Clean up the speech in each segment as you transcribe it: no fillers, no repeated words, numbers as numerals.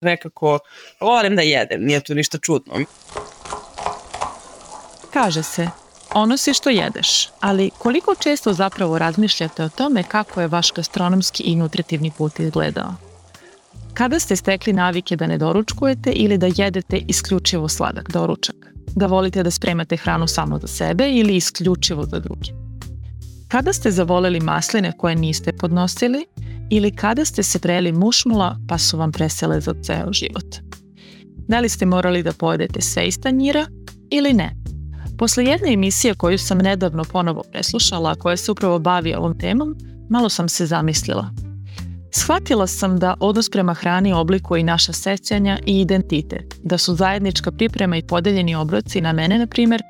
nekako volim da jedem, nije tu ništa čudno. Kaže se, ono si što jedeš, ali koliko često zapravo razmišljate o tome kako je vaš gastronomski i nutritivni put izgledao? Kada ste stekli navike da ne doručkujete ili da jedete isključivo sladak doručak? Da volite da spremate hranu samo za sebe ili isključivo za druge? Kada ste zavoleli masline koje niste podnosili ili kada ste se prejeli mušmula pa su vam presele za ceo život? Da li ste morali da pojedete sve iz tanjira ili ne? Posle jedne emisije koju sam nedavno ponovo preslušala, koja se upravo bavi ovom temom, malo sam se zamislila. Shvatila sam da odnos prema hrani oblikuje i naša sećanja i identitet, da su zajednička priprema i podeljeni obroci na mene, na primjer,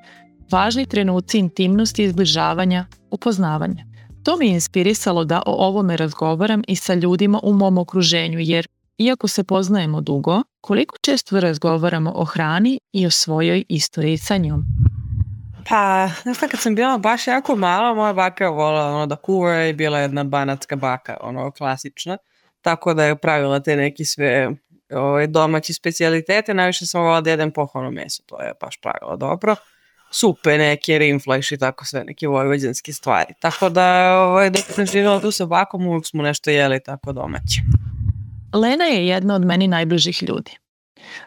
važni trenuci intimnosti, izbližavanja, upoznavanja. To mi je inspirisalo da o ovome razgovaram i sa ljudima u mom okruženju, jer iako se poznajemo dugo, koliko često razgovaramo o hrani i o svojoj istoriji sa njom? Pa, kad sam bila baš jako mala, moja baka je volila da kuva i bila jedna banatska baka, klasična. Tako da je pravila te neki sve domaći specijalitete. Najviše sam volila da jedem pohvalno meso, to je baš pravilo dobro. Supe neke, rinflajš i tako sve, neke vojvođanske stvari. Tako da, dok sam živjela tu sa bakom, uvijek smo nešto jeli tako domaće. Lena je jedna od meni najbližih ljudi.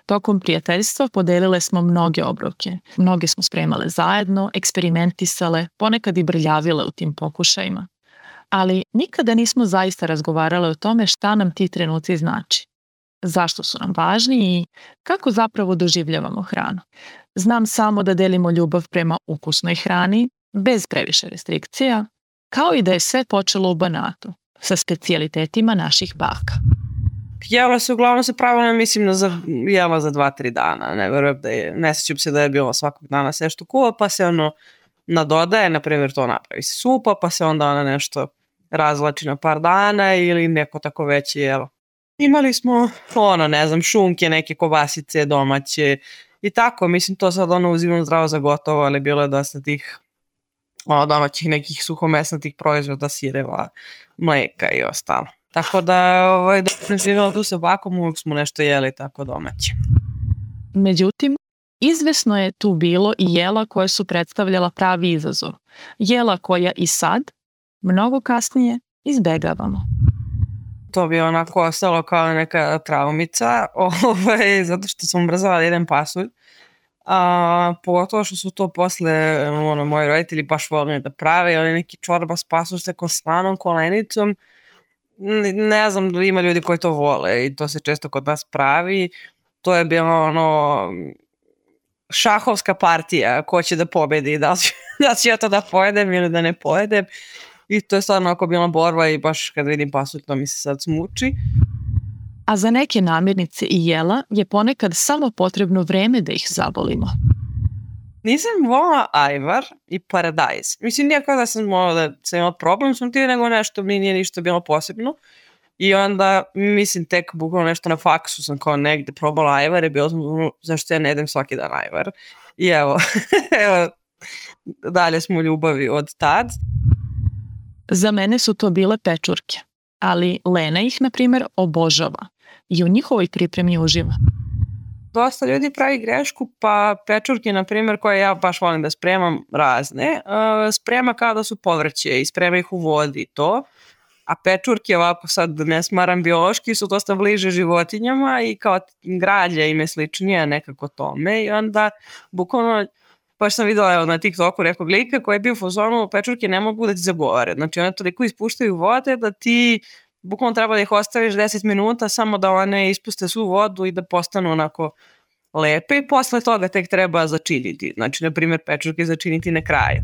Tokom prijateljstva podelile smo mnoge obroke. Mnoge smo spremale zajedno, eksperimentisale, ponekad i brljavile u tim pokušajima. Ali nikada nismo zaista razgovarale o tome šta nam ti trenuci znači. Zašto su nam važni i kako zapravo doživljavamo hranu. Znam samo da delimo ljubav prema ukusnoj hrani, bez previše restrikcija, kao i da je sve počelo u Banatu, sa specijalitetima naših baka. Jela se uglavnom se pravilno, mislim, jela za 2-3 dana. Ne verujem ne sjećam se da je bilo svakog dana sve što kuva, pa se nadodaje, na primjer to napravi se supa, pa se onda ona nešto razvlači na par dana ili neko tako veće jelo. Imali smo, šunke, neke kobasice domaće i tako, mislim, to sad uzimam zdravo za gotovo, ali bilo je dosta tih domaćih nekih suhomesnatih proizvoda, sireva, mleka i ostalo. Tako da, dok sam živjela tu sa bakom, uvijek smo nešto jeli tako domaće. Međutim, izvesno je tu bilo i jela koje su predstavljala pravi izazov. Jela koja i sad, mnogo kasnije, izbegavamo. To bi onako ostalo kao neka traumica, zato što sam brzala da jedem pasulj. Pogotovo što su to posle moji roditelji baš volili da prave, ali neki čorba s pasulj sa slanom kolenicom. Ne znam da ima ljudi koji to vole i to se često kod nas pravi. To je bilo šahovska partija, ko će da pobedi, da ću ja to da pojedem ili da ne pojedem. I to je stvarno ako bila borba i baš kad vidim pasulj to mi se sad smuči. A za neke namirnice i jela je ponekad samo potrebno vreme da ih zavolimo. Nisam volila ajvar i paradajz. Mislim, nije kao da sam imala problem sam ti, nego nešto mi nije ništa bilo posebno. I onda, mislim, tek bukvalno nešto na faksu sam kao negde probala ajvar i bilo sam, zašto ja ne jedem svaki dan ajvar. I evo, dalje smo u ljubavi od tad. Za mene su to bile pečurke, ali Lena ih, na primjer, obožava i u njihovoj pripremi uživa. Dosta ljudi pravi grešku, pa pečurke, na primjer, koje ja baš volim da spremam razne, sprema kao da su povrće i sprema ih u vodi i to, a pečurke, ovako sad ne smaram biološki, su dosta bliže životinjama i kao građa im je sličnije nekako tome i onda bukvalno baš sam videla na TikToku nekog lika koji je bio u fazonu, pečurke ne mogu da ti zagovore, znači one toliko ispuštaju vode da ti bukvalno treba da ih ostaviš 10 minuta samo da one ispuste svu vodu i da postanu onako lepe i posle toga tek treba začiniti. Znači, na primjer, pečurke začiniti na kraju.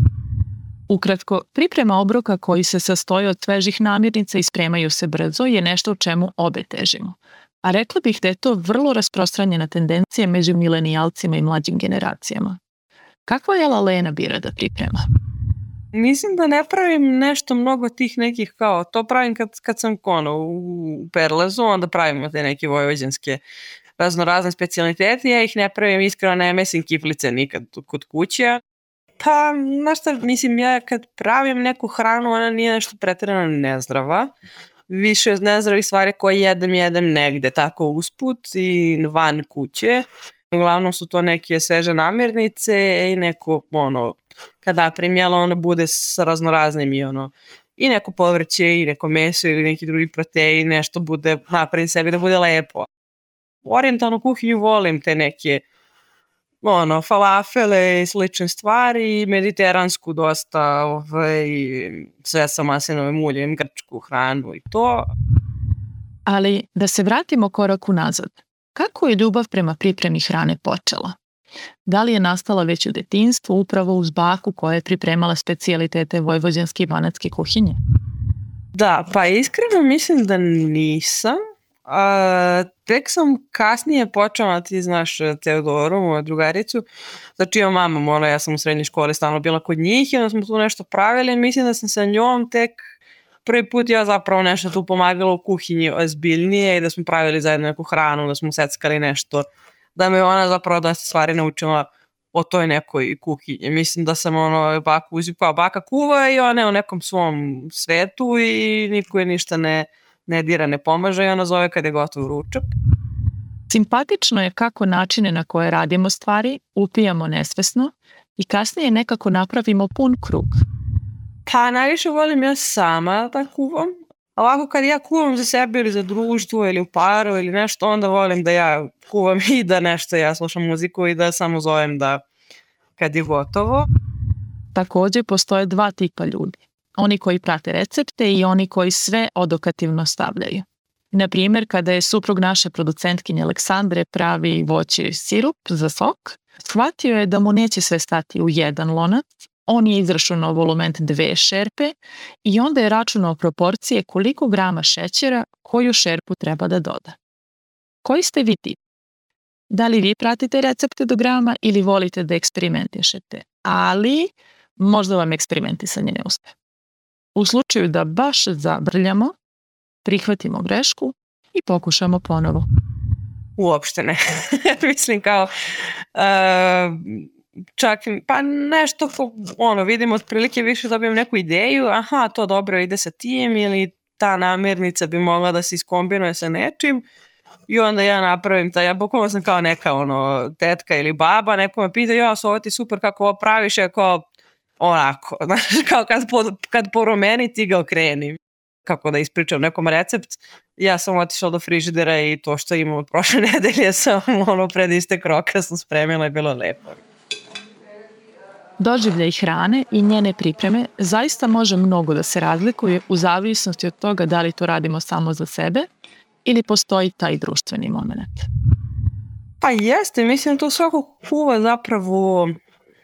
Ukratko, priprema obroka koji se sastoji od svežih namirnica i spremaju se brzo je nešto u čemu obe težimo. A rekla bih da je to vrlo rasprostranjena tendencija među milenijalcima i mlađim generacijama. Kakva jela Lena bira da priprema? Mislim da ne pravim nešto mnogo tih nekih kao, to pravim kad sam u Perlezu, onda pravimo te neke vojvođanske raznorazne specijalitete, ja ih ne pravim, iskreno ne mesim kiflice nikad kod kuće. Pa, znaš šta, mislim, ja kad pravim neku hranu, ona nije nešto pretjerano nezdrava, više nezdravih stvari koje jedem negde, tako usput i van kuće. Uglavnom su to neke sveže namirnice i neko, kad napravim jelo, ono bude sa raznoraznim i neko povrće i neko meso ili neki drugi protein, nešto bude napravim sebi da bude lepo. U orijentalnu kuhinju volim te neke falafele i slične stvari, mediteransku dosta, sve sa maslinovim uljem, grčku hranu i to. Ali da se vratimo korak unazad. Kako je ljubav prema pripremi hrane počela? Da li je nastala već u detinjstvu upravo uz baku koja je pripremala specijalitete vojvođanske i banatske kuhinje? Da, pa iskreno mislim da nisam. Tek sam kasnije počela, ti znaš Teodoru, moju drugaricu, znači ja mama, ja sam u srednjoj školi stalno bila kod njih i onda smo tu nešto pravili i mislim da sam sa njom tek prvi put ja zapravo nešto tu pomagala u kuhinji ozbiljnije i da smo pravili zajedno neku hranu, da smo seckali nešto, da me ona zapravo da se stvari naučila o toj nekoj kuhinji. Mislim da sam baku uzipao, baka kuva i ona je u nekom svom svetu i niko je ništa ne dira, ne pomaže i ona zove kad je gotov ručak. Simpatično je kako načine na koje radimo stvari upijamo nesvesno i kasnije nekako napravimo pun krug. Pa najviše volim ja sama da kuvam. Ovako kad ja kuvam za sebe ili za društvo ili u paru ili nešto, onda volim da ja kuvam i da nešto ja slušam muziku i da samo zovem da kad je gotovo. Također postoje dva tipa ljudi. Oni koji prate recepte i oni koji sve odokativno stavljaju. Na primjer, kada je suprug naše producentkinje Aleksandre pravi voći sirup za sok, shvatio je da mu neće sve stati u jedan lonac, on je izračunao volumen 2 šerpe i onda je računao proporcije koliko grama šećera koju šerpu treba da doda. Koji ste vi tip? Da li vi pratite recepte do grama ili volite da eksperimentišete? Ali možda vam eksperimentisanje ne uspe. U slučaju da baš zabrljamo, prihvatimo grešku i pokušamo ponovo. Uopšte ne. Mislim kao čak pa nešto vidim otprilike više dobijem neku ideju, aha, to dobro ide sa tim ili ta namirnica bi mogla da se iskombinuje sa nečim i onda ja napravim ja bukvalno sam kao neka tetka ili baba, neko me pita, ja ovo ti super kako ovo praviš, ja kao onako, kao kad poromeni ti ga okreni. Kako da ispričam nekom recept, ja sam otišla do frižidera i to što imam od prošle nedelje sam pred istek roka sam spremila i bilo lepo. Doživljaj hrane i njene pripreme zaista može mnogo da se razlikuje u zavisnosti od toga da li to radimo samo za sebe ili postoji taj društveni moment. Pa jeste, mislim to svako kuva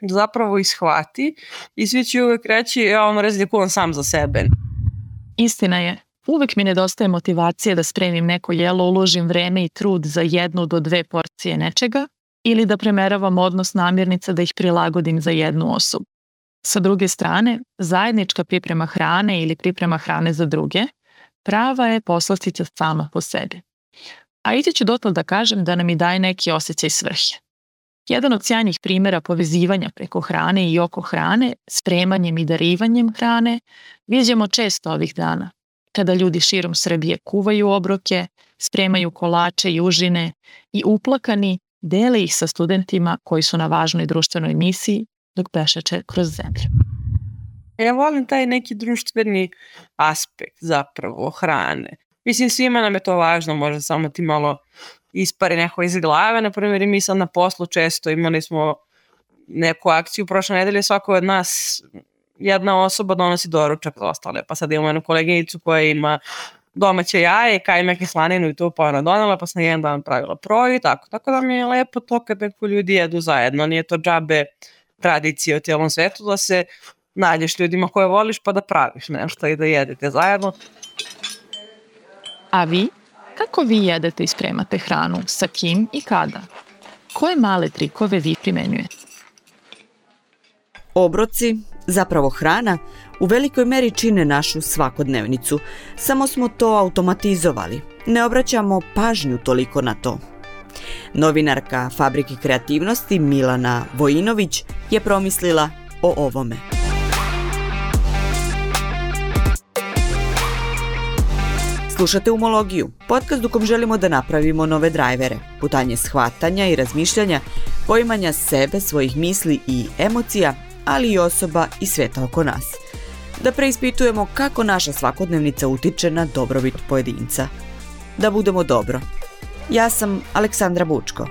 zapravo ishvati i svi će uvek reći ja reći da kuvam sam za sebe. Istina je, uvek mi nedostaje motivacije da spremim neko jelo, uložim vreme i trud za 1 do 2 porcije nečega ili da premeravam odnos namirnica da ih prilagodim za jednu osobu. Sa druge strane, zajednička priprema hrane ili priprema hrane za druge prava je poslastica sama po sebi. A ići ću dotle da kažem da nam i daje neki osjećaj svrhe. Jedan od sjajnih primjera povezivanja preko hrane i oko hrane, spremanjem i darivanjem hrane, viđamo često ovih dana, kada ljudi širom Srbije kuvaju obroke, spremaju kolače i užine i uplakani dele ih sa studentima koji su na važnoj društvenoj misiji dok pešače kroz zemlju. Ja volim taj neki društveni aspekt zapravo hrane. Mislim, svima nam je to važno, možda samo ti malo ispari neko iz glave. Na primjer, i mi sad na poslu često imali smo neku akciju prošle nedelje, svako od nas jedna osoba donosi doručak za ostale. Pa sad imamo jednu koleginicu koja ima domaće jaje, kajmak i slaninu i to pa ona donela, pa sam jedan dan pravila proj i tako. Tako da mi je lepo to kad neko ljudi jedu zajedno. Nije to džabe tradicije u cijelom svetu da se nađeš ljudima koje voliš pa da praviš nešto i da jedete zajedno. A vi? Kako vi jedete i spremate hranu? Sa kim i kada? Koje male trikove vi primenjujete? Obroci, zapravo hrana, u velikoj meri čine našu svakodnevnicu. Samo smo to automatizovali. Ne obraćamo pažnju toliko na to. Novinarka Fabrike kreativnosti Milana Vojinović je promislila o ovome. Slušate Umologiju, podcast u kom želimo da napravimo nove drajvere, putanje shvatanja i razmišljanja, poimanja sebe, svojih misli i emocija, ali i osoba i sveta oko nas. Da preispitujemo kako naša svakodnevnica utiče na dobrobit pojedinca. Da budemo dobro. Ja sam Aleksandra Bučko.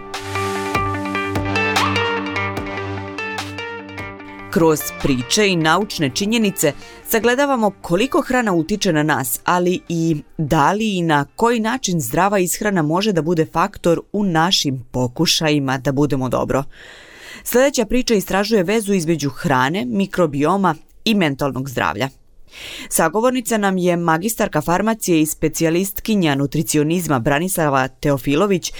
Kroz priče i naučne činjenice sagledavamo koliko hrana utiče na nas, ali i da li i na koji način zdrava ishrana može da bude faktor u našim pokušajima da budemo dobro. Sljedeća priča istražuje vezu između hrane, mikrobioma i mentalnog zdravlja. Sagovornica nam je magistarka farmacije i specijalistkinja nutricionizma Branislava Teofilović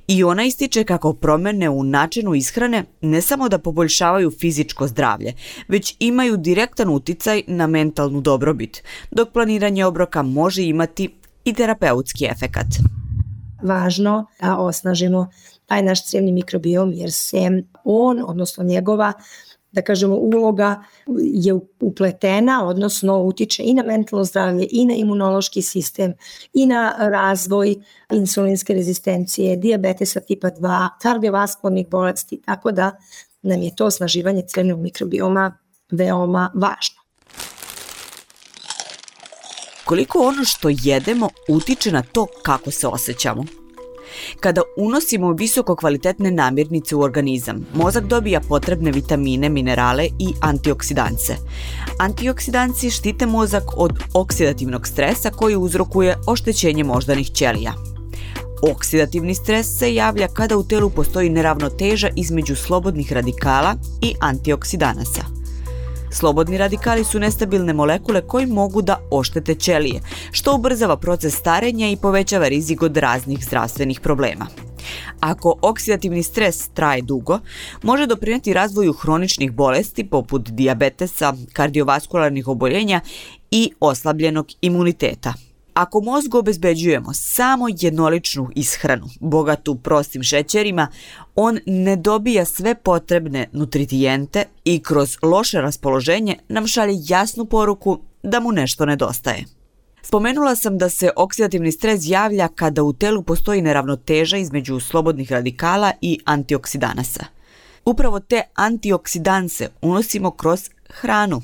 i ona ističe kako promjene u načinu ishrane ne samo da poboljšavaju fizičko zdravlje, već imaju direktan uticaj na mentalnu dobrobit, dok planiranje obroka može imati i terapeutski efekat. Važno da osnažimo taj naš crijevni mikrobiom jer se on, odnosno njegova, da kažemo, uloga je upletena, odnosno utiče i na mentalno zdravlje, i na imunološki sistem, i na razvoj insulinske rezistencije, dijabetesa tipa 2, kardiovaskularnih bolesti, tako da nam je to osnaživanje crijevnog mikrobioma veoma važno. Koliko ono što jedemo utiče na to kako se osjećamo? Kada unosimo visoko kvalitetne namirnice u organizam, mozak dobija potrebne vitamine, minerale i antioksidanse. Antioksidansi štite mozak od oksidativnog stresa koji uzrokuje oštećenje moždanih ćelija. Oksidativni stres se javlja kada u telu postoji neravnoteža između slobodnih radikala i antioksidanasa. Slobodni radikali su nestabilne molekule koji mogu da oštete ćelije, što ubrzava proces starenja i povećava rizik od raznih zdravstvenih problema. Ako oksidativni stres traje dugo, može doprinijeti razvoju hroničnih bolesti poput dijabetesa, kardiovaskularnih oboljenja i oslabljenog imuniteta. Ako mozgu obezbeđujemo samo jednoličnu ishranu, bogatu prostim šećerima, on ne dobija sve potrebne nutrijente i kroz loše raspoloženje nam šalje jasnu poruku da mu nešto nedostaje. Spomenula sam da se oksidativni stres javlja kada u telu postoji neravnoteža između slobodnih radikala i antioksidanasa. Upravo te antioksidanse unosimo kroz hranu.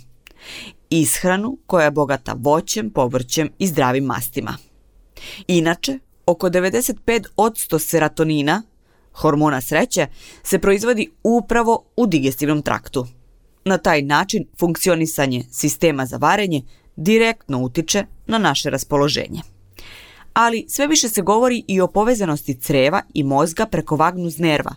Ishranu koja je bogata voćem, povrćem i zdravim mastima. Inače, oko 95% serotonina, hormona sreće, se proizvodi upravo u digestivnom traktu. Na taj način funkcionisanje sistema za varenje direktno utiče na naše raspoloženje. Ali sve više se govori i o povezanosti creva i mozga preko vagnus nerva,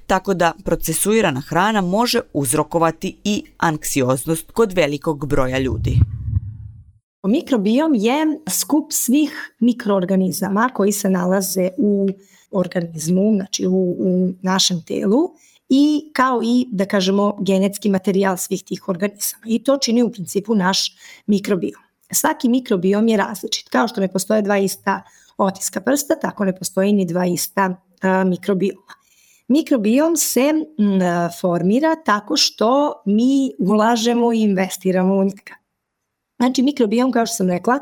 tako da procesuirana hrana može uzrokovati i anksioznost kod velikog broja ljudi. Mikrobiom je skup svih mikroorganizama koji se nalaze u organizmu, znači u našem telu, i kao i, da kažemo, genetski materijal svih tih organizama. I to čini u principu naš mikrobiom. Svaki mikrobiom je različit. Kao što ne postoje dva ista otiska prsta, tako ne postoji ni dva ista mikrobioma. Mikrobiom se formira tako što mi ulažemo i investiramo u njega. Znači, mikrobiom, kao što sam rekla,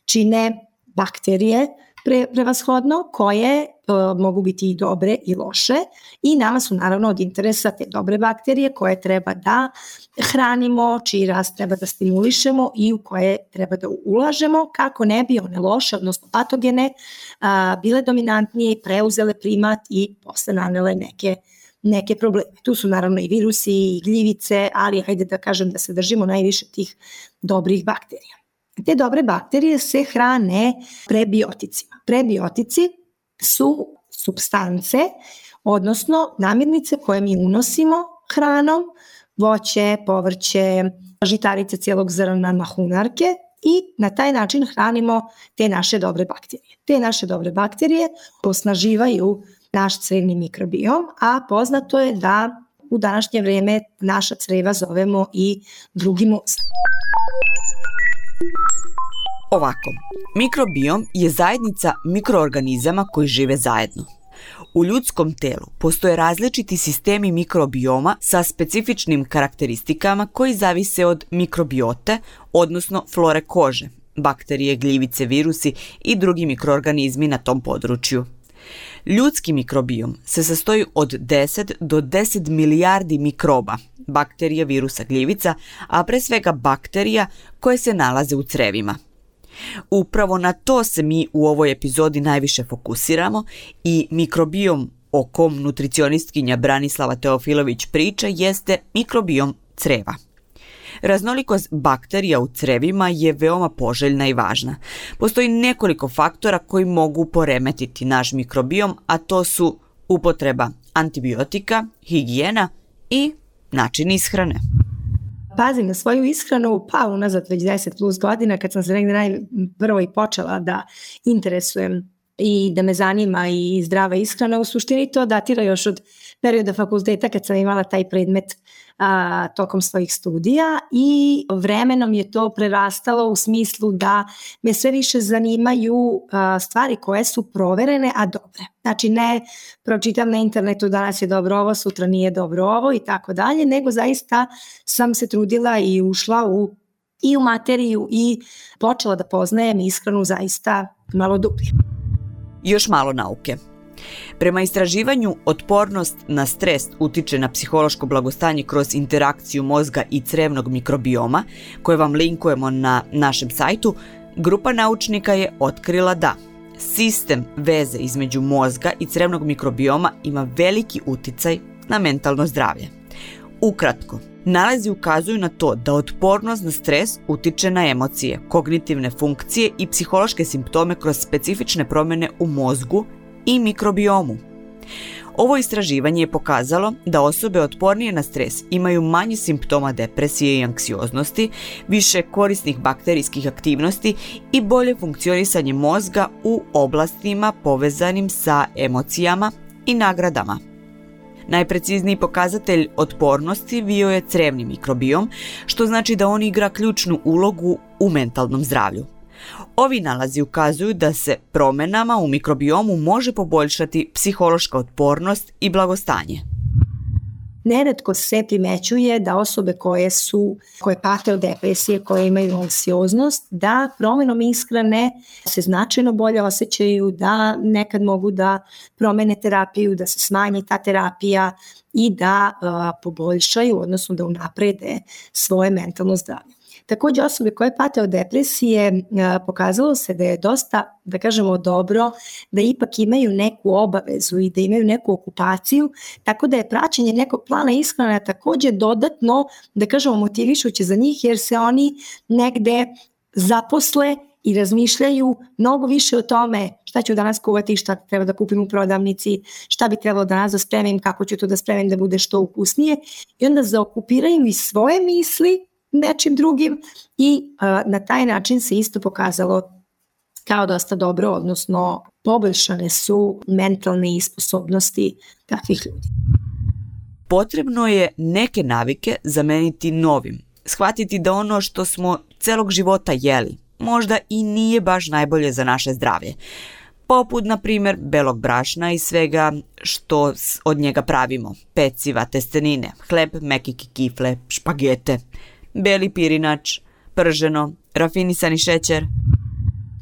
čine bakterije prevashodno, koje mogu biti i dobre i loše, i nama su naravno od interesa te dobre bakterije koje treba da hranimo, čiji rast treba da stimulišemo i u koje treba da ulažemo kako ne bi one loše, odnosno patogene, bile dominantnije i preuzele primat i posle nanele neke probleme. Tu su naravno i virusi i gljivice, ali hajde da kažem da se držimo najviše tih dobrih bakterija. Te dobre bakterije se hrane prebioticima. Prebiotici su supstance, odnosno namirnice koje mi unosimo hranom, voće, povrće, žitarice cijelog zrna, mahunarke, i na taj način hranimo te naše dobre bakterije. Te naše dobre bakterije osnaživaju naš crevni mikrobiom, a poznato je da u današnje vrijeme naša creva zovemo i drugi mozak. Ovako, mikrobiom je zajednica mikroorganizama koji žive zajedno. U ljudskom telu postoje različiti sistemi mikrobioma sa specifičnim karakteristikama koji zavise od mikrobiote, odnosno flore kože, bakterije, gljivice, virusi i drugi mikroorganizmi na tom području. Ljudski mikrobiom se sastoji od 10 do 10 milijardi mikroba, bakterija, virusa, gljivica, a pre svega bakterija koje se nalaze u crevima. Upravo na to se mi u ovoj epizodi najviše fokusiramo i mikrobiom o kom nutricionistkinja Branislava Teofilović priča jeste mikrobiom creva. Raznolikost bakterija u crevima je veoma poželjna i važna. Postoji nekoliko faktora koji mogu poremetiti naš mikrobiom, a to su upotreba antibiotika, higijena i način ishrane. Pazim na svoju ishranu, pa unazad već 10 plus godina kad sam se negdje najprvo i počela da interesujem i da me zanima i zdrava ishrana. U suštini to datira još od perioda fakulteta kad sam imala taj predmet tokom svojih studija i vremenom je to prerastalo u smislu da me sve više zanimaju stvari koje su proverene, a dobre. Znači ne pročitam na internetu danas je dobro ovo, sutra nije dobro ovo i tako dalje, nego zaista sam se trudila i ušla i u materiju i počela da poznajem ishranu zaista malo dublje. Još malo nauke. Prema istraživanju, otpornost na stres utiče na psihološko blagostanje kroz interakciju mozga i crevnog mikrobioma, koje vam linkujemo na našem sajtu. Grupa naučnika je otkrila da sistem veze između mozga i crevnog mikrobioma ima veliki uticaj na mentalno zdravlje. Ukratko, nalazi ukazuju na to da otpornost na stres utiče na emocije, kognitivne funkcije i psihološke simptome kroz specifične promjene u mozgu i mikrobiomu. Ovo istraživanje je pokazalo da osobe otpornije na stres imaju manje simptoma depresije i anksioznosti, više korisnih bakterijskih aktivnosti i bolje funkcionisanje mozga u oblastima povezanim sa emocijama i nagradama. Najprecizniji pokazatelj otpornosti bio je crevni mikrobiom, što znači da on igra ključnu ulogu u mentalnom zdravlju. Ovi nalazi ukazuju da se promjenama u mikrobiomu može poboljšati psihološka otpornost i blagostanje. Neretko se primećuje da osobe koje pate od depresije, koje imaju anksioznost, da promjenom ishrane se značajno bolje osjećaju, da nekad mogu da promene terapiju, da se smanji ta terapija i da poboljšaju, odnosno da unaprede svoje mentalno zdravlje. Također osobe koje pate od depresije pokazalo se da je dosta, da kažemo, dobro da ipak imaju neku obavezu i da imaju neku okupaciju, tako da je praćenje nekog plana ishrane također dodatno, da kažemo, motivišuće za njih jer se oni negde zaposle i razmišljaju mnogo više o tome šta ću danas kuvati, šta treba da kupim u prodavnici, šta bi trebalo danas da spremim, kako ću to da spremim da bude što ukusnije i onda zaokupiraju i svoje misli nečim drugim i na taj način se isto pokazalo kao dosta dobro, odnosno poboljšane su mentalne sposobnosti takvih ljudi. Potrebno je neke navike zameniti novim, shvatiti da ono što smo celog života jeli možda i nije baš najbolje za naše zdravlje. Poput, na primjer, belog brašna i svega što od njega pravimo, peciva, testenine, hleb, mekike, kifle, špagete, beli pirinač, prženo, rafinisani šećer.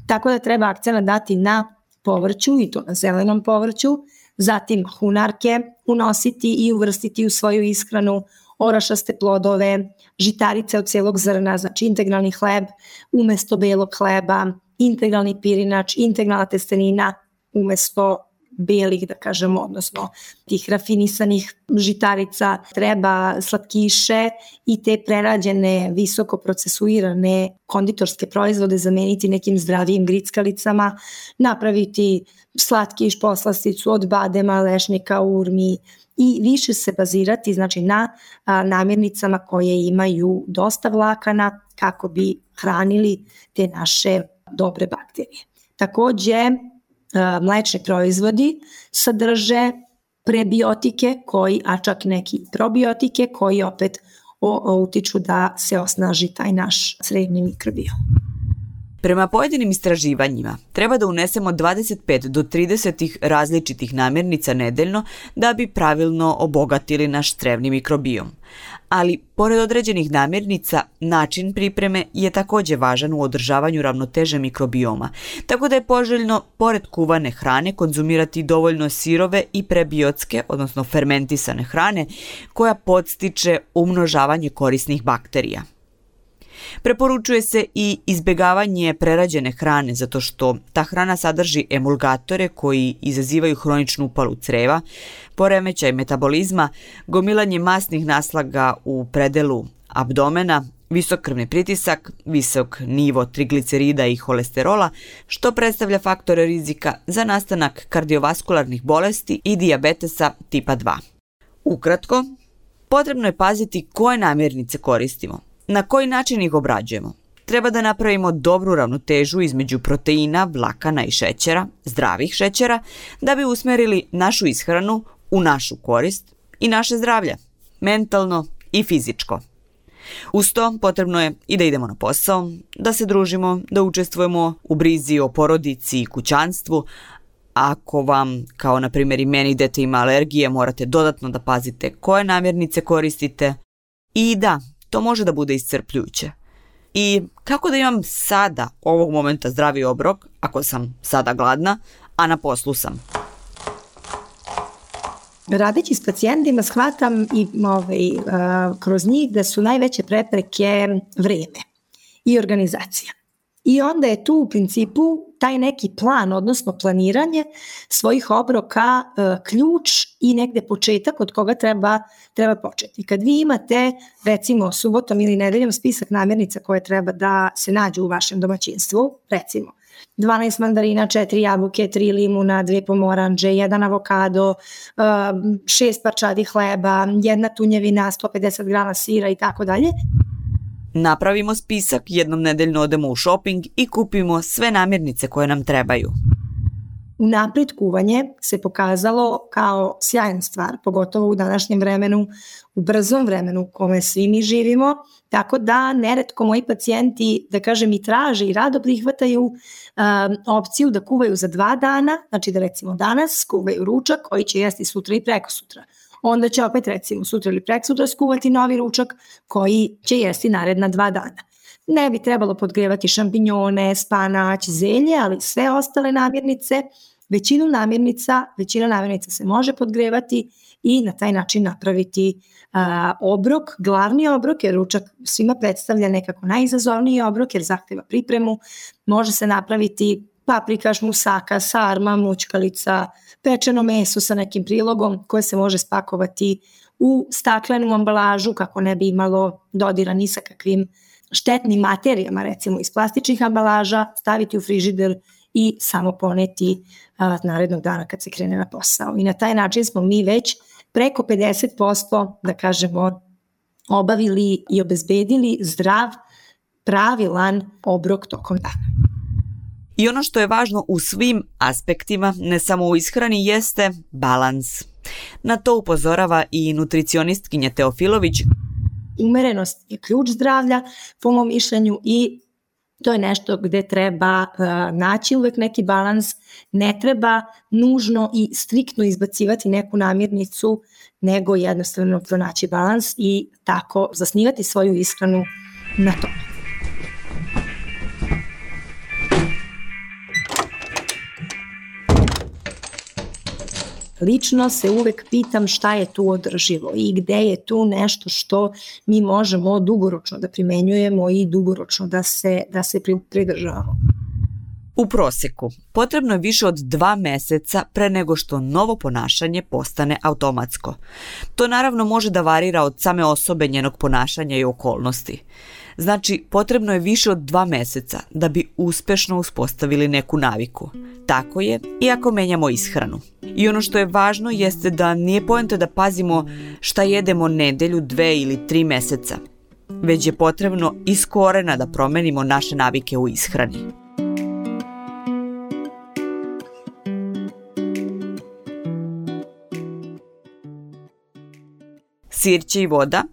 Tako da treba akcenat dati na povrću i to na zelenom povrću, zatim hunarke unositi i uvrstiti u svoju ishranu, orašaste plodove, žitarice od cijelog zrna, znači integralni hleb umjesto belog hleba, integralni pirinač, integralna testenina umjesto belih, da kažemo, odnosno tih rafinisanih žitarica. Treba slatkiše i te prerađene, visoko procesuirane konditorske proizvode zameniti nekim zdravijim grickalicama, napraviti slatkiš, poslasticu od badema, lešnika, urmi i više se bazirati, znači, na namirnicama koje imaju dosta vlakana kako bi hranili te naše dobre bakterije. Također, mlečni proizvodi sadrže prebiotike, a čak neki probiotike koji opet utiču da se osnaži taj naš crevni mikrobiom. Prema pojedinim istraživanjima, treba da unesemo 25 do 30 različitih namirnica nedeljno da bi pravilno obogatili naš crevni mikrobiom. Ali, pored određenih namirnica, način pripreme je takođe važan u održavanju ravnoteže mikrobioma, tako da je poželjno, pored kuvane hrane, konzumirati dovoljno sirove i prebiotske, odnosno fermentisane hrane, koja podstiče umnožavanje korisnih bakterija. Preporučuje se i izbegavanje prerađene hrane zato što ta hrana sadrži emulgatore koji izazivaju hroničnu upalu creva, poremećaj metabolizma, gomilanje masnih naslaga u predelu abdomena, visok krvni pritisak, visok nivo triglicerida i holesterola, što predstavlja faktore rizika za nastanak kardiovaskularnih bolesti i dijabetesa tipa 2. Ukratko, potrebno je paziti koje namirnice koristimo. Na koji način ih obrađujemo? Treba da napravimo dobru ravnotežu između proteina, vlakana i šećera, zdravih šećera, da bi usmerili našu ishranu u našu korist i naše zdravlje, mentalno i fizičko. Uz to potrebno je i da idemo na posao, da se družimo, da učestvujemo u brizi o porodici i kućanstvu. Ako vam, kao na primjer i meni, dete ima alergije, morate dodatno da pazite koje namirnice koristite. I da, to može da bude iscrpljujuće. I kako da imam sada, ovog momenta, zdravi obrok, ako sam sada gladna, a na poslu sam? Radeći s pacijentima shvatam i kroz njih da su najveće prepreke vreme i organizacija. I onda je tu u principu taj neki plan, odnosno planiranje svojih obroka ključ i negde početak od koga treba početi. Kad vi imate recimo subotom ili nedeljom spisak namirnica koje treba da se nađu u vašem domaćinstvu, recimo 12 mandarina, 4 jabuke, 3 limuna, 2 pomoranđe, 1 avokado, 6 parčadi hleba, 1 tunjevina, 150 grama sira i tako dalje. Napravimo spisak, jednom nedeljno odemo u shopping i kupimo sve namirnice koje nam trebaju. Unapred kuvanje se pokazalo kao sjajna stvar, pogotovo u današnjem vremenu, u brzom vremenu u kome svi mi živimo, tako da neretko moji pacijenti, da kažem, i traže i rado prihvataju opciju da kuvaju za 2 dana, znači da recimo danas kuvaju ručak koji će jesti sutra i prekosutra. Onda će opet recimo sutra ili prekosutra skuvati novi ručak koji će jesti naredna 2 dana. Ne bi trebalo podgrevati šampinjone, spanać, zelje, ali sve ostale namirnice, većina namirnica se može podgrevati i na taj način napraviti obrok, glavni obrok, jer ručak svima predstavlja nekako najizazovniji obrok jer zahteva pripremu. Može se napraviti paprikaš, musaka, sarma, mućkalica, pečeno meso sa nekim prilogom koje se može spakovati u staklenu ambalažu kako ne bi imalo dodira ni sa kakvim štetnim materijama, recimo iz plastičnih ambalaža, staviti u frižider i samo poneti narednog dana kad se krene na posao. I na taj način smo mi već preko 50%, da kažemo, obavili i obezbedili zdrav, pravilan obrok tokom dana. I ono što je važno u svim aspektima, ne samo u ishrani, jeste balans. Na to upozorava i nutricionistkinja Teofilović. Umerenost je ključ zdravlja, po mom mišljenju, i to je nešto gde treba naći uvek neki balans. Ne treba nužno i striktno izbacivati neku namirnicu, nego jednostavno pronaći balans i tako zasnivati svoju ishranu na tome. Lično se uvek pitam šta je tu održivo i gde je tu nešto što mi možemo dugoročno da primenjujemo i dugoročno da se pridržavamo. U proseku potrebno je više od 2 meseca pre nego što novo ponašanje postane automatsko. To naravno može da varira od same osobe, njenog ponašanja i okolnosti. Znači, potrebno je više od 2 meseca da bi uspešno uspostavili neku naviku. Tako je i ako menjamo ishranu. I ono što je važno jeste da nije poenta da pazimo šta jedemo nedelju, 2 ili 3 meseca, već je potrebno iz korena da promenimo naše navike u ishrani. Sirće i voda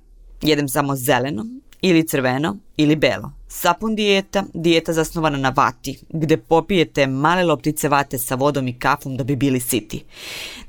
jedem samo zeleno ili crveno ili belo. Sapun dijeta, dijeta zasnovana na vati, gde popijete male loptice vate sa vodom i kafom da bi bili siti.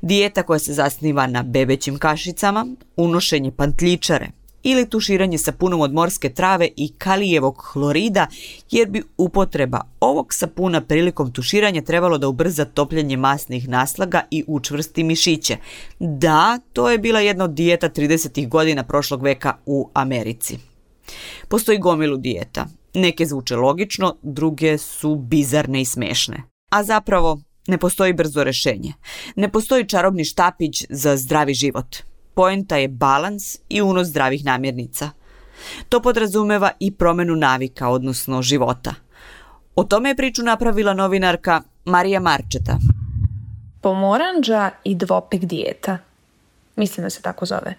Dijeta koja se zasniva na bebećim kašicama, unošenje pantljičare ili tuširanje sapunom od morske trave i kalijevog hlorida, jer bi upotreba ovog sapuna prilikom tuširanja trebalo da ubrza topljenje masnih naslaga i učvrsti mišiće. Da, to je bila jedna od dijeta 30. godina prošlog veka u Americi. Postoji gomilu dijeta. Neke zvuče logično, druge su bizarne i smešne. A zapravo ne postoji brzo rešenje. Ne postoji čarobni štapić za zdravi život. Poenta je balans i unos zdravih namirnica. To podrazumeva i promenu navika, odnosno života. O tome je priču napravila novinarka Marija Marčeta. Pomorandža i dvopek dijeta. Mislim da se tako zove.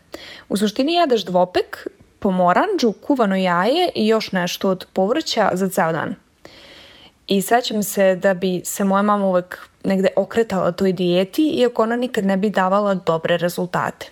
U suštini jedeš dvopek, pomorandžu, kuvano jaje i još nešto od povrća za ceo dan. I sećam se da bi se moja mama uvek negde okretala toj dijeti, iako ona nikad ne bi davala dobre rezultate.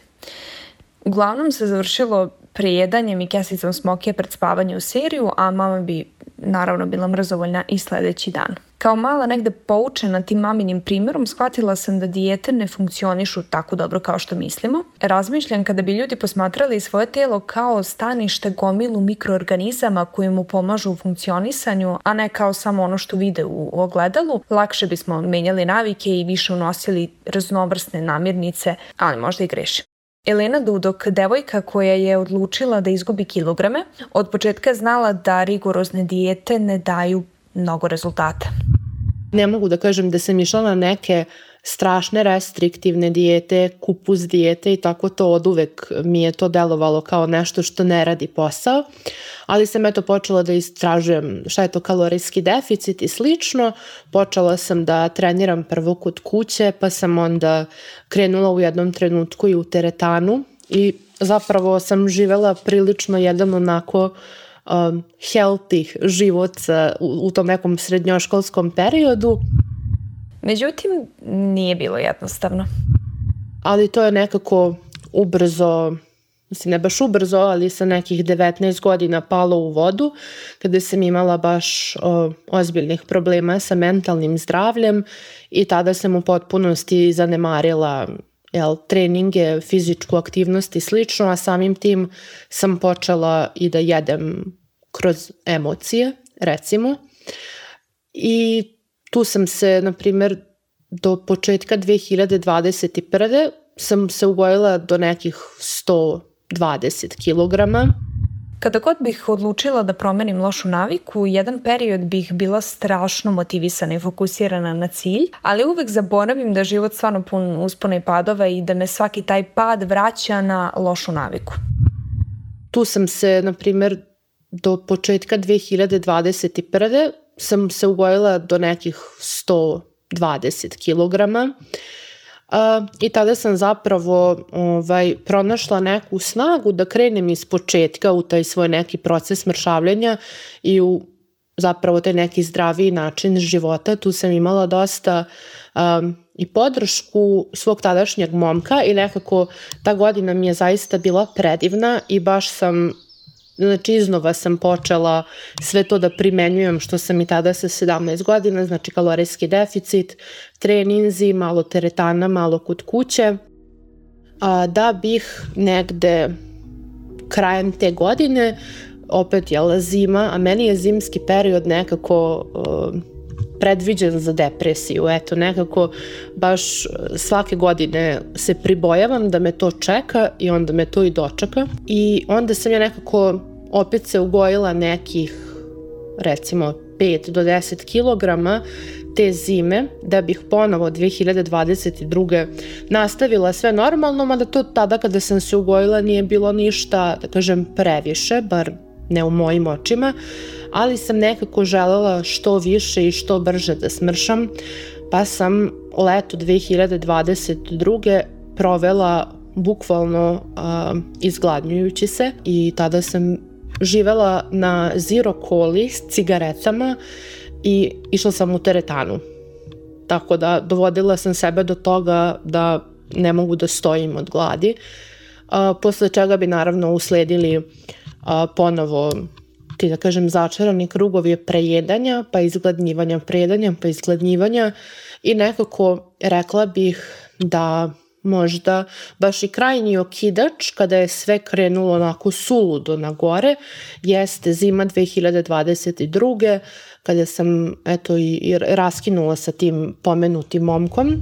Uglavnom se završilo prejedanjem i kesicom smokije pred spavanje u seriju, a mama bi naravno bila mrzovoljna i sledeći dan. Kao mala negde poučena tim maminim primjerom, shvatila sam da dijete ne funkcionišu tako dobro kao što mislimo. Razmišljam kada bi ljudi posmatrali svoje telo kao stanište gomilu mikroorganizama koji mu pomažu u funkcionisanju, a ne kao samo ono što vide u ogledalu, lakše bismo menjali navike i više unosili raznovrsne namirnice, ali možda i grešim. Elena Dudok, devojka koja je odlučila da izgubi kilograme, od početka je znala da rigorozne dijete ne daju mnogo rezultata. Ne mogu da kažem da sam išla na neke strašne restriktivne dijete, kupus dijete i tako to oduvek mi je to delovalo kao nešto što ne radi posao, ali sam počela da istražujem šta je to kalorijski deficit i slično. Počela sam da treniram prvo kod kuće, pa sam onda krenula u jednom trenutku i u teretanu i zapravo sam živela prilično jedan onako healthy život u tom nekom srednjoškolskom periodu. Međutim, nije bilo jednostavno. Ali to je nekako ubrzo, mislim ne baš ubrzo, ali sa nekih 19 godina palo u vodu, kada sam imala baš ozbiljnih problema sa mentalnim zdravljem i tada sam u potpunosti zanemarila treninge, fizičku aktivnost i slično, a samim tim sam počela i da jedem kroz emocije, recimo. I tu sam se, na primjer, do početka 2021. sam se ugojila do nekih 120 kilograma. Kada god bih odlučila da promenim lošu naviku, jedan period bih bila strašno motivisana i fokusirana na cilj, ali uvek zaboravim da život stvarno pun uspona i padova i da me svaki taj pad vraća na lošu naviku. Tu sam se, na primjer, do početka 2021. sam se ugojila do nekih 120 kilograma. I tada sam zapravo pronašla neku snagu da krenem iz početka u taj svoj neki proces mršavljenja i u zapravo taj neki zdraviji način života. Tu sam imala dosta i podršku svog tadašnjeg momka i nekako ta godina mi je zaista bila predivna i baš sam, znači iznova sam počela sve to da primenjujem što sam i tada sa 17 godina, znači kalorijski deficit, treninzi, malo teretana, malo kod kuće, da bih negde krajem te godine, opet zima, a meni je zimski period nekako predviđen za depresiju, eto nekako baš svake godine se pribojavam da me to čeka i onda me to i dočeka i onda sam ja nekako opet se ugojila nekih recimo 5 do 10 kilograma te zime da bih ponovo 2022. nastavila sve normalno, mada to tada kada sam se ugojila nije bilo ništa, da kažem, previše, bar ne u mojim očima, ali sam nekako želela što više i što brže da smršam, pa sam leto 2022. provela bukvalno izgladnjujući se i tada sam živela na zero coli s cigaretama i išla sam u teretanu. Tako da dovodila sam sebe do toga da ne mogu da stojim od gladi, posle čega bi naravno usledili ponovo ti da kažem začarani krugovi je prejedanja, pa izgladnjivanja i nekako rekla bih da možda baš i krajnji okidač kada je sve krenulo onako suludo na gore jeste zima 2022. kada sam i raskinula sa tim pomenutim momkom.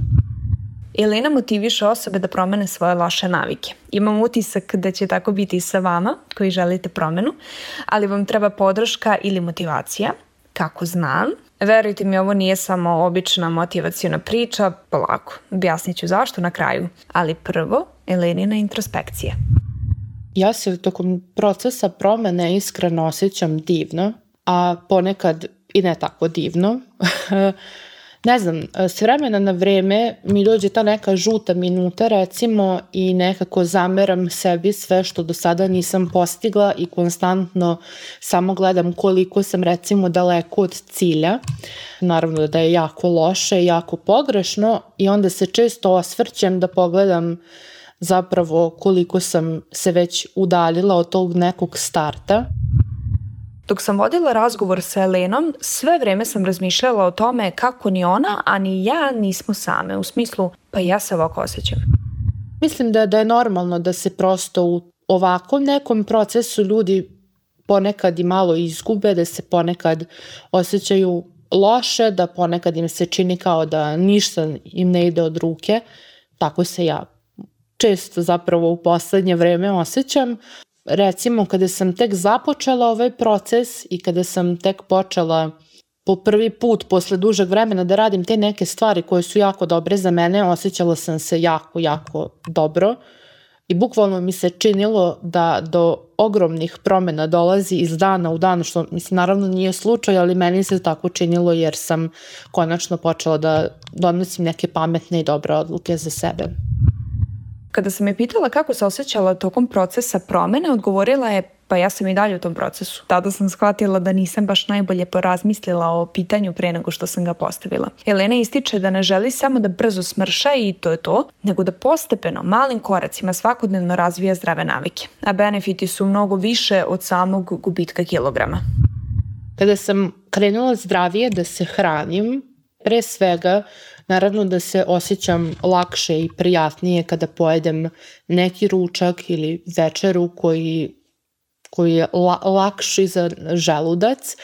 Elena motiviše osobe da promene svoje loše navike. Imam utisak da će tako biti i sa vama koji želite promenu, ali vam treba podrška ili motivacija. Kako znam? Verujte mi, ovo nije samo obična motivaciona priča, polako, objasnit ću zašto na kraju. Ali prvo, Elenina introspekcija. Ja se tokom procesa promene iskreno osjećam divno, a ponekad i ne tako divno. Ne znam, s vremena na vreme mi dođe ta neka žuta minuta recimo i nekako zameram sebi sve što do sada nisam postigla i konstantno samo gledam koliko sam recimo daleko od cilja. Naravno da je jako loše, jako pogrešno i onda se često osvrćem da pogledam zapravo koliko sam se već udaljila od tog nekog starta. Dok sam vodila razgovor sa Elenom, sve vreme sam razmišljala o tome kako ni ona, a ni ja nismo same. U smislu, pa ja se ovako osjećam. Mislim da je normalno da se prosto u ovakvom nekom procesu ljudi ponekad i malo izgube, da se ponekad osjećaju loše, da ponekad im se čini kao da ništa im ne ide od ruke. Tako se ja često zapravo u poslednje vreme osjećam. Recimo, kada sam tek započela ovaj proces i kada sam tek počela po prvi put posle dužeg vremena da radim te neke stvari koje su jako dobre za mene, osjećala sam se jako, jako dobro i bukvalno mi se činilo da do ogromnih promena dolazi iz dana u dan, što mislim naravno nije slučaj, ali meni se tako činilo jer sam konačno počela da donosim neke pametne i dobre odluke za sebe. Kada sam je pitala kako se osjećala tokom procesa promene, odgovorila je, pa ja sam i dalje u tom procesu. Tada sam shvatila da nisam baš najbolje porazmislila o pitanju pre nego što sam ga postavila. Elena ističe da ne želi samo da brzo smrša i to je to, nego da postepeno, malim koracima svakodnevno razvija zdrave navike. A benefiti su mnogo više od samog gubitka kilograma. Kada sam krenula zdravije da se hranim, pre svega, naravno da se osjećam lakše i prijatnije kada pojedem neki ručak ili večeru koji je lakši za želudac,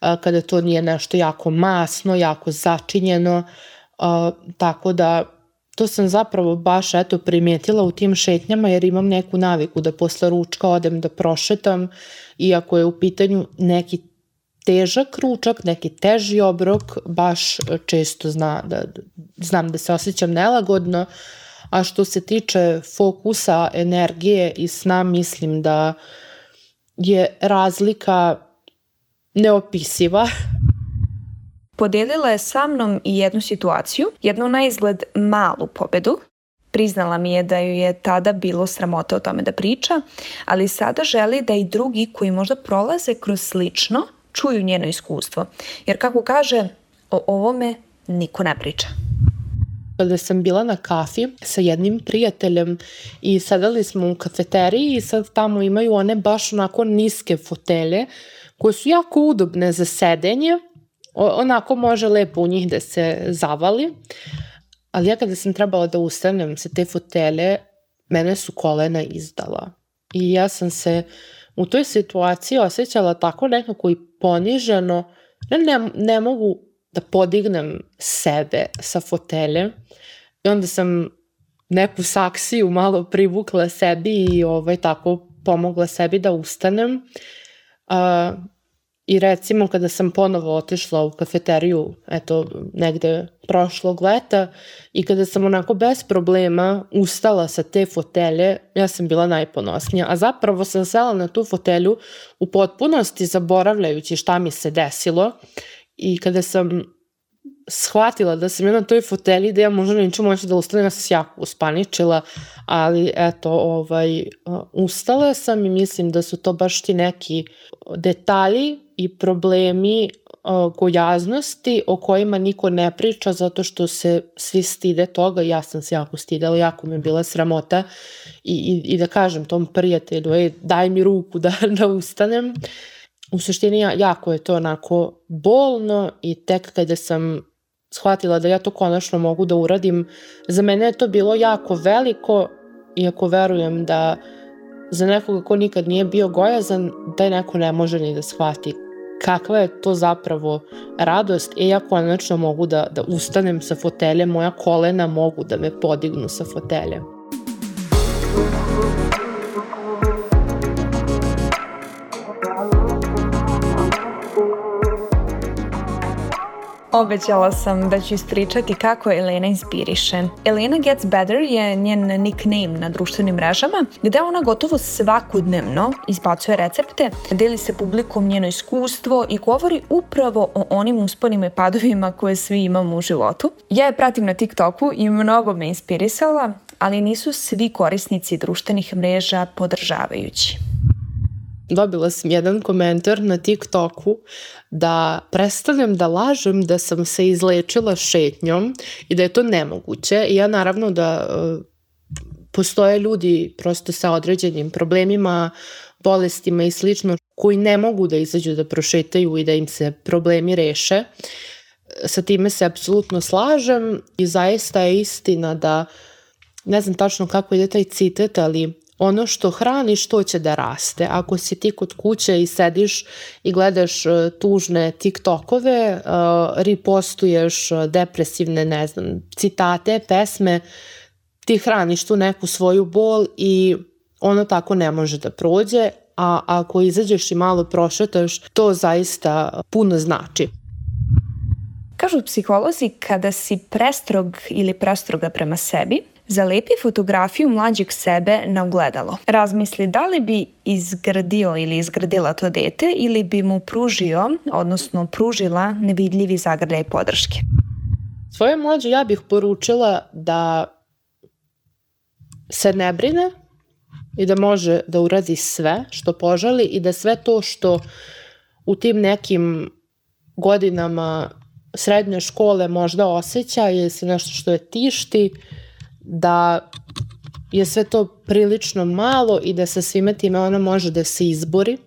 kada to nije nešto jako masno, jako začinjeno, tako da to sam zapravo baš primijetila u tim šetnjama jer imam neku naviku da posle ručka odem da prošetam, iako je u pitanju neki težak ručak, neki teži obrok, baš često znam da se osjećam nelagodno, a što se tiče fokusa, energije i sna, mislim da je razlika neopisiva. Podelila je sa mnom i jednu situaciju, jednu na izgled malu pobedu. Priznala mi je da ju je tada bilo sramota o tome da priča, ali sada želi da i drugi koji možda prolaze kroz slično čuju njeno iskustvo. Jer kako kaže, o ovome niko ne priča. Kada sam bila na kafi sa jednim prijateljem i sedali smo u kafeteriji i sad tamo imaju one baš onako niske fotelje koje su jako udobne za sedenje. Onako može lepo u njih da se zavali. Ali ja kada sam trebala da ustanem sa te fotelje, mene su kolena izdala. I ja sam se u toj situaciji osjećala tako nekako i poniženo. Ne mogu da podignem sebe sa fotelje. I onda sam neku saksiju malo privukla sebi i tako pomogla sebi da ustanem. I recimo kada sam ponovo otišla u kafeteriju, negde prošlog leta i kada sam onako bez problema ustala sa te fotelje, ja sam bila najponosnija. A zapravo sam sela na tu fotelju u potpunosti zaboravljajući šta mi se desilo i kada sam shvatila da sam ja na toj fotelji da ja možda neću moći da ustanem, ja sam se jako uspaničila, ali ustala sam i mislim da su to baš ti neki detalji i problemi gojaznosti o kojima niko ne priča zato što se svi stide toga. Ja sam se jako stidela, jako mi je bila sramota i da kažem tom prijatelju, daj mi ruku da ustanem. u suštini jako je to onako bolno i tek kada sam shvatila da ja to konačno mogu da uradim, za mene je to bilo jako veliko, iako verujem da za nekoga ko nikad nije bio gojazan, taj neko ne može ni da shvati kakva je to zapravo radost i ja konačno mogu da ustanem sa fotelje, moja kolena mogu da me podignu sa fotelje. Obećala sam da ću ispričati kako Elena inspiriše. Elena Gets Better je njen nickname na društvenim mrežama, gde ona gotovo svakodnevno izbacuje recepte, deli se publikom njeno iskustvo i govori upravo o onim usponima i padovima koje svi imamo u životu. Ja je pratim na TikToku i mnogo me inspirisala, ali nisu svi korisnici društvenih mreža podržavajući. Dobila sam jedan komentar na TikToku da prestanem da lažem da sam se izlečila šetnjom i da je to nemoguće. I ja naravno da postoje ljudi prosto sa određenim problemima, bolestima i slično koji ne mogu da izađu da prošetaju i da im se problemi reše. Sa time se apsolutno slažem i zaista je istina da, ne znam tačno kako ide taj citat, ali ono što hraniš, to će da raste. Ako si ti kod kuće i sediš i gledaš tužne TikTokove, ripostuješ depresivne, ne znam, citate, pesme, ti hraniš tu neku svoju bol i ono tako ne može da prođe, a ako izađeš i malo prošetaš, to zaista puno znači. Kažu psiholozi, kada si prestrog ili prestroga prema sebi, zalepi fotografiju mlađeg sebe na ogledalo. Razmisli da li bi izgradio ili izgradila to dete ili bi mu pružio, odnosno pružila nevidljivi zagrljaj podrške. Svoje mlađe ja bih poručila da se ne brine i da može da uradi sve što poželi i da sve to što u tim nekim godinama srednje škole možda osjeća ili se nešto što je tišti, da je sve to prilično malo i da sa svime time ona može da se izbori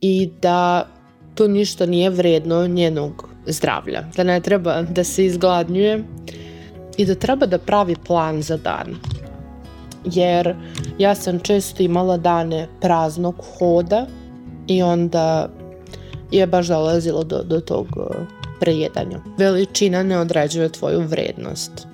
i da to ništa nije vredno njenog zdravlja. Da ne treba da se izgladnjuje i da treba da pravi plan za dan. Jer ja sam često imala dane praznog hoda i onda je baš dolazilo do tog prejedanja. Veličina ne određuje tvoju vrednost.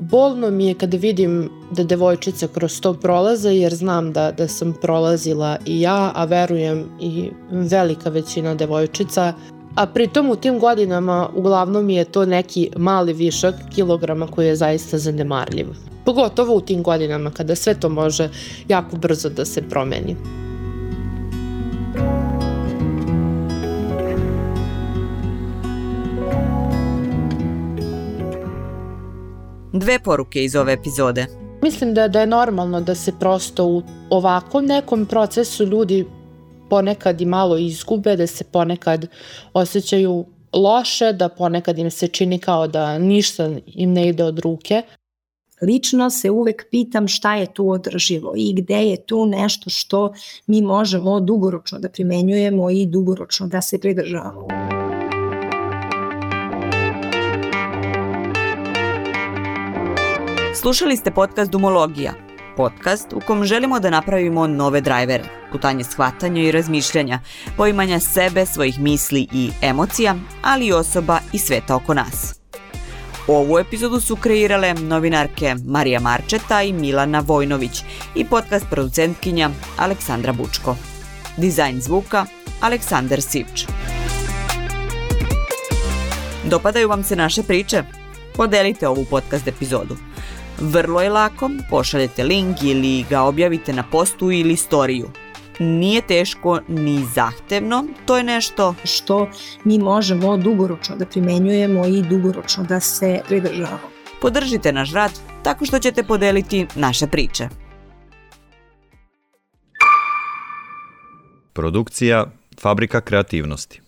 Bolno mi je kada vidim da devojčice kroz to prolaze, jer znam da sam prolazila i ja, a verujem i velika većina devojčica. A pritom u tim godinama uglavnom je to neki mali višak kilograma koji je zaista zanemarljiv. Pogotovo u tim godinama kada sve to može jako brzo da se promeni. Dve poruke iz ove epizode. Mislim da je normalno da se prosto u ovakvom nekom procesu ljudi ponekad i malo izgube, da se ponekad osjećaju loše, da ponekad im se čini kao da ništa im ne ide od ruke. Lično se uvek pitam šta je tu održivo i gde je tu nešto što mi možemo dugoročno da primenjujemo i dugoročno da se pridržavamo. Slušali ste podcast Dumologija, podcast u kom želimo da napravimo nove drajvere, putanje shvatanja i razmišljanja, poimanja sebe, svojih misli i emocija, ali i osoba i sveta oko nas. Ovu epizodu su kreirale novinarke Marija Marčeta i Milana Vojnović i podcast producentkinja Aleksandra Bučko. Dizajn zvuka Aleksandar Sivč. Dopadaju vam se naše priče? Podelite ovu podcast epizodu. Vrlo je lako, pošaljete link ili ga objavite na postu ili storiju. Nije teško ni zahtevno, to je nešto što mi možemo dugoročno da primenjujemo i dugoročno da se pridržavamo. Podržite naš rad tako što ćete podeliti naše priče. Produkcija Fabrika kreativnosti.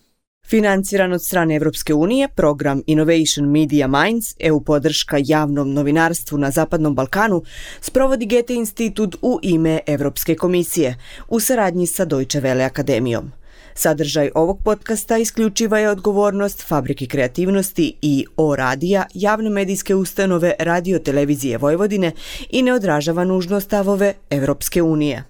Financiran od strane Evropske unije, program Innovation Media Minds, EU podrška javnom novinarstvu na Zapadnom Balkanu, sprovodi Goethe institut u ime Evropske komisije u saradnji sa Deutsche Welle akademijom. Sadržaj ovog podcasta isključiva je odgovornost Fabrike kreativnosti i O-radija, javne medijske ustanove Radio Televizije Vojvodine i ne odražava nužno stavove Evropske unije.